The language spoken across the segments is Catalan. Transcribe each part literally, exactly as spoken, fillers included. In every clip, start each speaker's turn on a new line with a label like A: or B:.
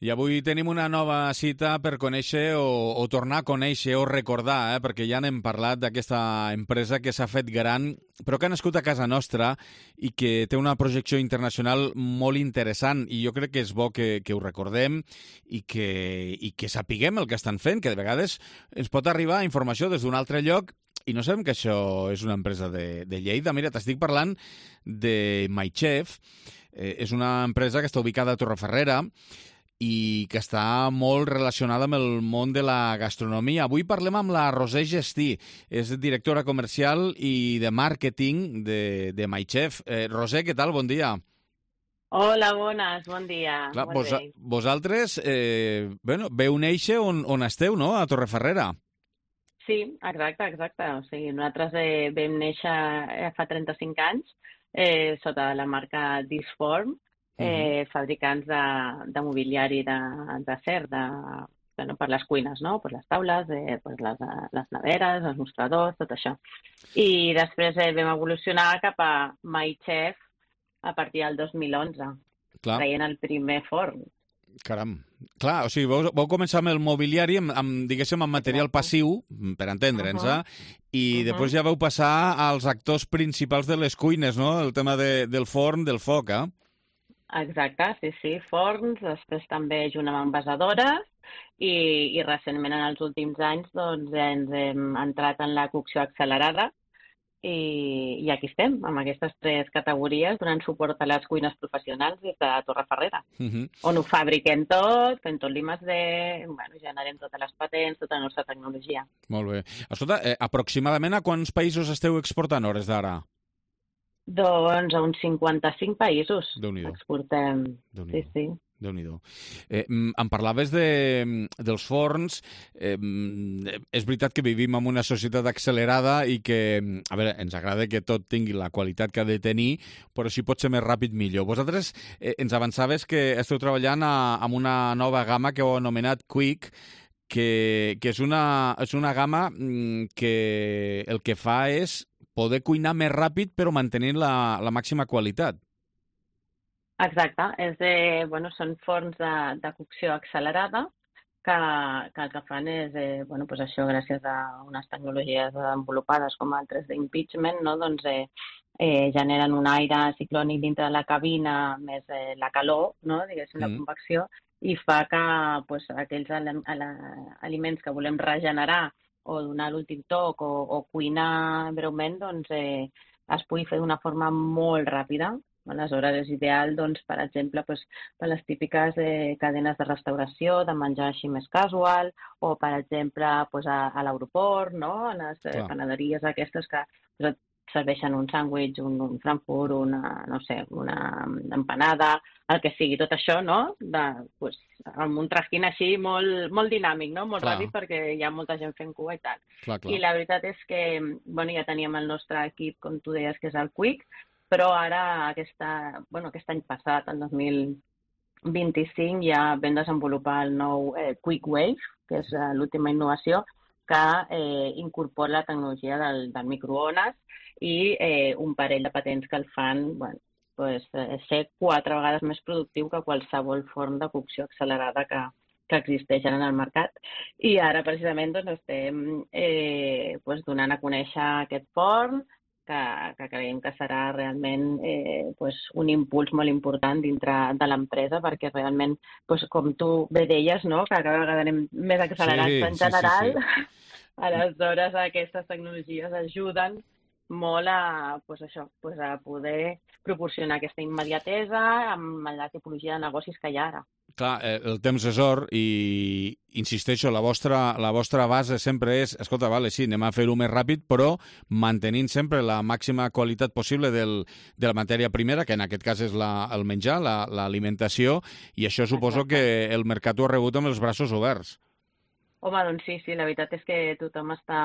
A: I avui tenim una nova cita per conèixer o, o tornar a conèixer o recordar, eh? perquè ja n'hem parlat d'aquesta empresa que s'ha fet gran, però que ha nascut a casa nostra i que té una projecció internacional molt interessant, i jo crec que és bo que, que ho recordem i que, i que sapiguem el que estan fent, que de vegades ens pot arribar informació des d'un altre lloc i no sabem que això és una empresa de, de Lleida. Mira, t'estic parlant de MyChef. Eh, és una empresa que està ubicada a Torrefarrera i que està molt relacionada amb el món de la gastronomia. Avui parlem amb la Roser Gestí, és directora comercial i de màrqueting de, de MyChef. Eh, Roser, què tal? Bon dia.
B: Hola, bones, bon dia.
A: Clar, vos, vosaltres eh, bueno, veu néixer on, on esteu, no?, a Torrefarrera.
B: Sí, exacte, exacte. O sigui, nosaltres eh, vam néixer fa trenta-cinc anys eh, sota la marca Disform, Eh, uh-huh. fabricants de, de mobiliari d'acer de, de, no, per les cuines, no? Per les taules, eh, per les, les neveres, els mostradors, tot això. I després eh, vam evolucionar cap a MyChef a partir del dos mil onze,
A: Clar.
B: traient el primer forn.
A: Caram. Clar, o sigui, vau, vau començar amb el mobiliari, amb, amb, diguéssim, amb material passiu, per entendre'ns, uh -huh. eh? I uh -huh. després ja vau passar als actors principals de les cuines, no? El tema de, del forn, del foc, eh?
B: Exacte, sí, sí, forns, després també junt amb envasadores i, i recentment en els últims anys doncs, ens hem entrat en la cocció accelerada i, i aquí estem, amb aquestes tres categories, donant suport a les cuines professionals des de Torrefarrera, uh -huh. on ho fabriquem tot, fem tot l'I més D, bueno, generem totes les patents, tota la nostra tecnologia.
A: Molt bé. Escolta, eh, aproximadament a quants països esteu exportant hores d'ara?
B: Doncs a uns cinquanta-cinc països exportem. Sí, sí.
A: Déu-n'hi-do. Eh, em parlaves de, dels forns. Eh, és veritat que vivim en una societat accelerada i que, a veure, ens agrada que tot tingui la qualitat que ha de tenir, però si pot ser més ràpid, millor. Vosaltres eh, ens avançaves que esteu treballant a, amb una nova gamma que heu anomenat Quick, que, que és, una, és una gamma que el que fa és poder cuinar més ràpid però mantenint la, la màxima qualitat.
B: Exacte. És de, bueno, són forns de, de cocció accelerada que, que el que fan és, eh, bueno, pues això, gràcies a unes tecnologies desenvolupades com el tres D Impeachment, no? doncs, eh, eh, generen un aire ciclònic dintre de la cabina, més eh, la calor, no? diguéssim, mm. la convecció, i fa que pues, aquells aliments que volem regenerar o donar l'últim toc o, o cuinar breument, doncs eh, es pugui fer d'una forma molt ràpida. Aleshores és ideal, doncs, per exemple, pues, per les típiques eh, cadenes de restauració, de menjar així més casual, o, per exemple, pues, a, a l'aeroport, no? A les eh, panaderies aquestes que pues, serveixen un sàndwich, un, un frankfurt, una, no sé, una empanada, el que sigui, tot això, no? De, pues, amb un trajín així molt, molt dinàmic, no? Molt clar. Ràpid, perquè hi ha molta gent fent cua i tal.
A: Clar, clar.
B: I la veritat és que, bueno, ja teníem el nostre equip, com tu deies, que és el Quick, però ara, aquesta, bueno, aquest any passat, el dos mil vint-i-cinc, ja vam desenvolupar el nou eh, Quick Wave, que és eh, l'última innovació, que eh, incorpora la tecnologia del, del microones i eh, un parell de patents que el fan, bueno, pues, eh, ser quatre vegades més productiu que qualsevol forn de cocció accelerada que, que existeix en el mercat. I ara, precisament, doncs, estem eh, pues, donant a conèixer aquest forn, que, que creiem que serà realment eh, pues, un impuls molt important dintre de l'empresa, perquè realment, pues, com tu bé deies, no? que cada vegada anem més accelerats sí, en general, sí, sí, sí. Aleshores aquestes tecnologies ajuden molt a, pues, això, pues, a poder proporcionar aquesta immediatesa amb la tipologia de negocis que hi ha ara.
A: Clar, el temps és or i, insisteixo, la vostra, la vostra base sempre és, escolta, vale, sí, anem a fer-ho més ràpid, però mantenint sempre la màxima qualitat possible del, de la matèria primera, que en aquest cas és la, el menjar, l'alimentació, la, i això suposo Exacte. Que el mercat ho ha rebut amb els braços oberts.
B: Home, doncs sí, sí, la veritat és que tothom està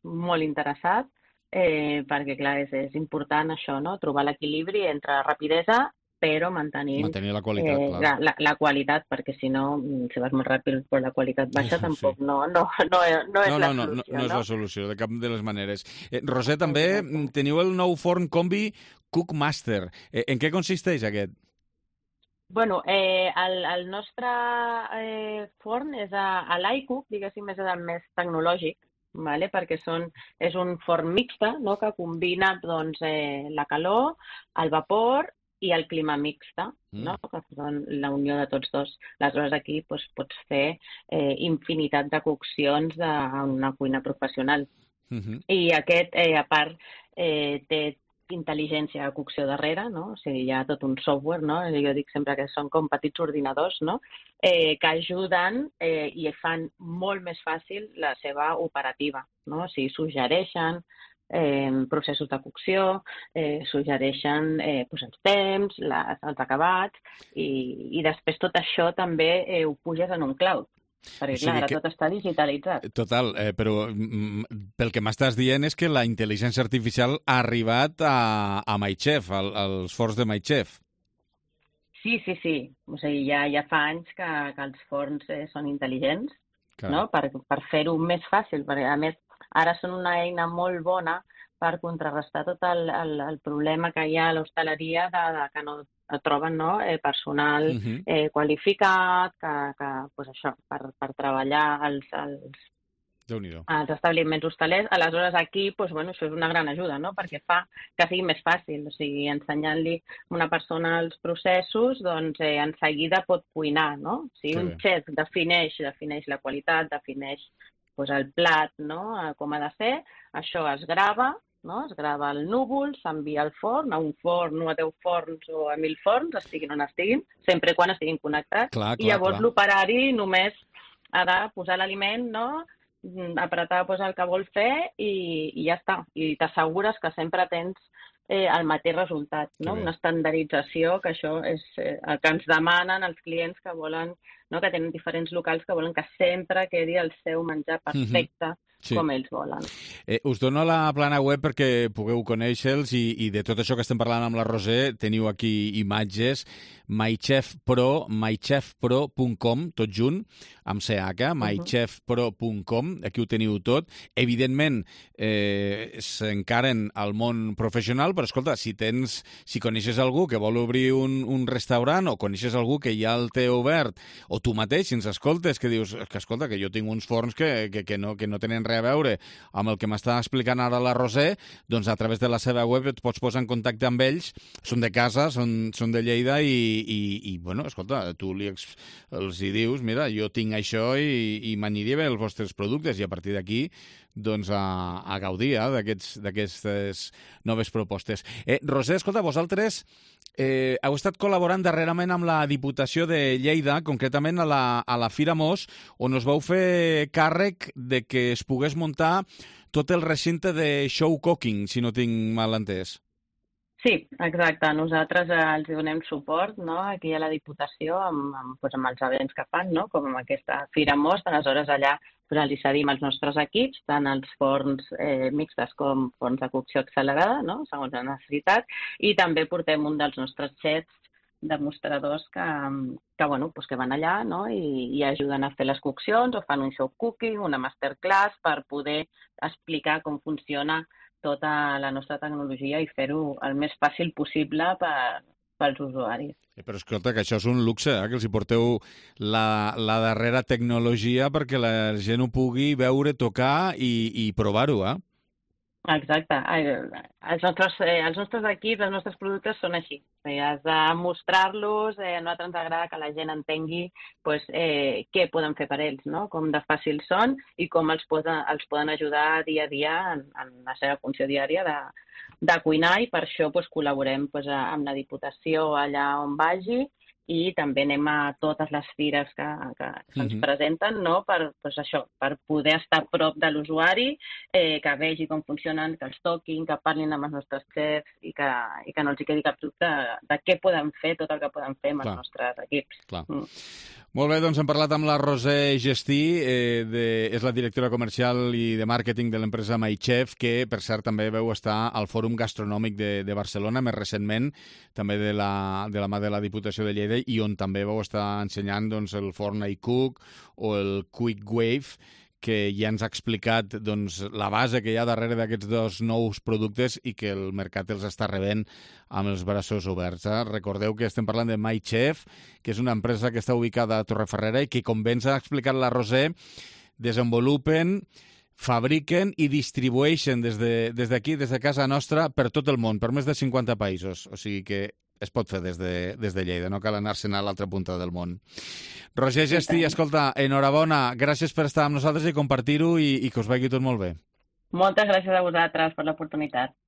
B: molt interessat, eh, perquè, clar, és, és important això, no?, trobar l'equilibri entre rapidesa però mantenint
A: Mantenir la qualitat,
B: eh,
A: clar.
B: la, la, la qualitat, perquè si no, si vas molt ràpid però la qualitat baixa, sí. tampoc no, no, no, no és
A: no,
B: la
A: no,
B: solució.
A: No, no, no és la solució, de cap de les maneres. Eh, Roser, també Exacte. Teniu el nou forn combi Cookmaster. Eh, en què consisteix aquest?
B: Bueno, eh, el, el nostre eh, forn és a, a l'iCook, diguéssim, és el més tecnològic, vale? Perquè són, és un forn mixta, no? Que combina doncs, eh, la calor, el vapor i el clima mixta, mm. no? Que són la unió de tots dos. Aleshores aquí doncs, pots fer eh, infinitat de coccions de, en una cuina professional. Mm-hmm. I aquest, eh, a part, eh, té intel·ligència de cocció darrere, no? O sigui, hi ha tot un software, no? Jo dic sempre que són com petits ordinadors, no? Eh, que ajuden eh, i fan molt més fàcil la seva operativa, no? O sigui, suggereixen eh, processos de cocció, eh, suggereixen eh, doncs els temps, les, els acabats, i, i després tot això també eh, ho puges en un cloud. Perquè, clar, ara que... tot està digitalitzat.
A: Total, eh, però mm, pel que m'estàs dient és que la intel·ligència artificial ha arribat a, a MyChef, al, als forns de MyChef.
B: Sí, sí, sí. O sigui, ja, ja fa anys que, que els forns eh, són intel·ligents, clar, no? Per, per fer-ho més fàcil, perquè a més ara són una eina molt bona per contrarrestar tot el, el, el problema que hi ha a l'hostaleria de, de que no troben, no? eh, personal uh-huh. eh, qualificat, que, que pues això, per, per treballar als, als, als establiments hostalers. Aleshores aquí pues, bueno, això és una gran ajuda, no? Perquè fa que sigui més fàcil, o sigui, ensenyant-li a una persona els processos, doncs eh, en seguida pot cuinar, no? O sigui, que un bé. Xef defineix, defineix la qualitat, defineix pues, el plat, no? Com ha de ser, això es grava, no? Es grava el núvol, s'envia al forn, a un forn o a deu forns o a mil forns, estiguin on estiguin, sempre quan estiguin connectats.
A: Clar, clar,
B: I llavors
A: clar.
B: L'operari només ha de posar l'aliment, no? Apretar pues, el que vol fer i, i ja està. I t'assegures que sempre tens eh, el mateix resultat, no? Una estandardització, que això és eh, el que ens demanen els clients que volen, no? Que tenen diferents locals que volen que sempre quedi el seu menjar perfecte, mm-hmm. Sí. Com ells volen.
A: Eh, us dono la plana web perquè pugueu conèixer-los i, i de tot això que estem parlant amb la Roser teniu aquí imatges. MyChefPro, mychefpro punt com, tot junt, amb C H, mychefpro punt com, aquí ho teniu tot. Evidentment, eh, s'encaren al món professional, però escolta, si tens, si coneixes algú que vol obrir un, un restaurant o coneixes algú que ja el té obert, o tu mateix, si ens escoltes, que dius que escolta, que jo tinc uns forns que, que, que, no, que no tenen res a veure amb el que m'està explicant ara la Roser, doncs a través de la seva web et pots posar en contacte amb ells, són de casa, són, són de Lleida i, i, i bueno, escolta, tu li ex, els hi dius, mira, jo tinc això i, i m'aniria bé els vostres productes i a partir d'aquí doncs a, a gaudir eh, d'aquestes noves propostes. Eh, Roser, escolta, vosaltres eh, heu estat col·laborant darrerament amb la Diputació de Lleida, concretament a la, a la Fira Mos, on us vau fer càrrec de que es pogués muntar tot el recinte de show cooking, si no tinc mal entès.
B: Sí, exacte. Nosaltres eh, els donem suport, no? Aquí a la Diputació amb, amb, doncs, amb els events que fan, no? Com amb aquesta Fira Most. Aleshores allà doncs, els cedim els nostres equips, tant els forns eh, mixtes com forns de cocció accelerada, no? Segons la necessitat, i també portem un dels nostres xefs demostradors que, que, bueno, doncs que van allà, no? I, i ajuden a fer les coccions o fan un show cooking, una masterclass per poder explicar com funciona tota la nostra tecnologia i fer-ho el més fàcil possible per, pels usuaris.
A: Però escolta, que això és un luxe, eh? Que els hi porteu la, la darrera tecnologia perquè la gent ho pugui veure, tocar i, i provar-ho, eh?
B: Exacte. Els nostres, eh, els nostres equips, els nostres productes són així. Eh, has de mostrar-los, eh, a nosaltres ens agrada que la gent entengui pues, eh, què poden fer per ells, no? Com de fàcils són i com els poden, els poden ajudar dia a dia en, en la seva funció diària de, de cuinar i per això pues, col·laborem pues, amb la Diputació allà on vagi i també anem a totes les fires que, que se'ns mm-hmm. presenten, no? Per, pues això, per poder estar a prop de l'usuari, eh, que vegi com funcionen, que els toquin, que parlin amb els nostres xefs i que, i que no els hi quedi cap dubte de, de què podem fer, tot el que podem fer amb Clar. Els nostres equips.
A: Clar. Mm. Molt bé, doncs hem parlat amb la Roser Gestí, eh, de, és la directora comercial i de màrqueting de l'empresa MyChef, que per cert també veu estar al Fòrum Gastronòmic de, de Barcelona, més recentment, també de la, de la mà de la Diputació de Lleida, i on també vau estar ensenyant doncs, el forn iCook o el Quick Wave, que ja ens ha explicat doncs, la base que hi ha darrere d'aquests dos nous productes i que el mercat els està rebent amb els braços oberts. Eh? Recordeu que estem parlant de MyChef, que és una empresa que està ubicada a Torreferrera i que, com bé ens ha explicat la Roser, desenvolupen, fabriquen i distribueixen des d'aquí, de, des, des de casa nostra, per tot el món, per més de cinquanta països. O sigui que es pot fer des de, des de Lleida, no cal anar-se'n a l'altra punta del món. Roser Gestí, escolta, enhorabona, gràcies per estar amb nosaltres i compartir-ho i, i que us vagi tot molt bé.
B: Moltes gràcies a vosaltres per l'oportunitat.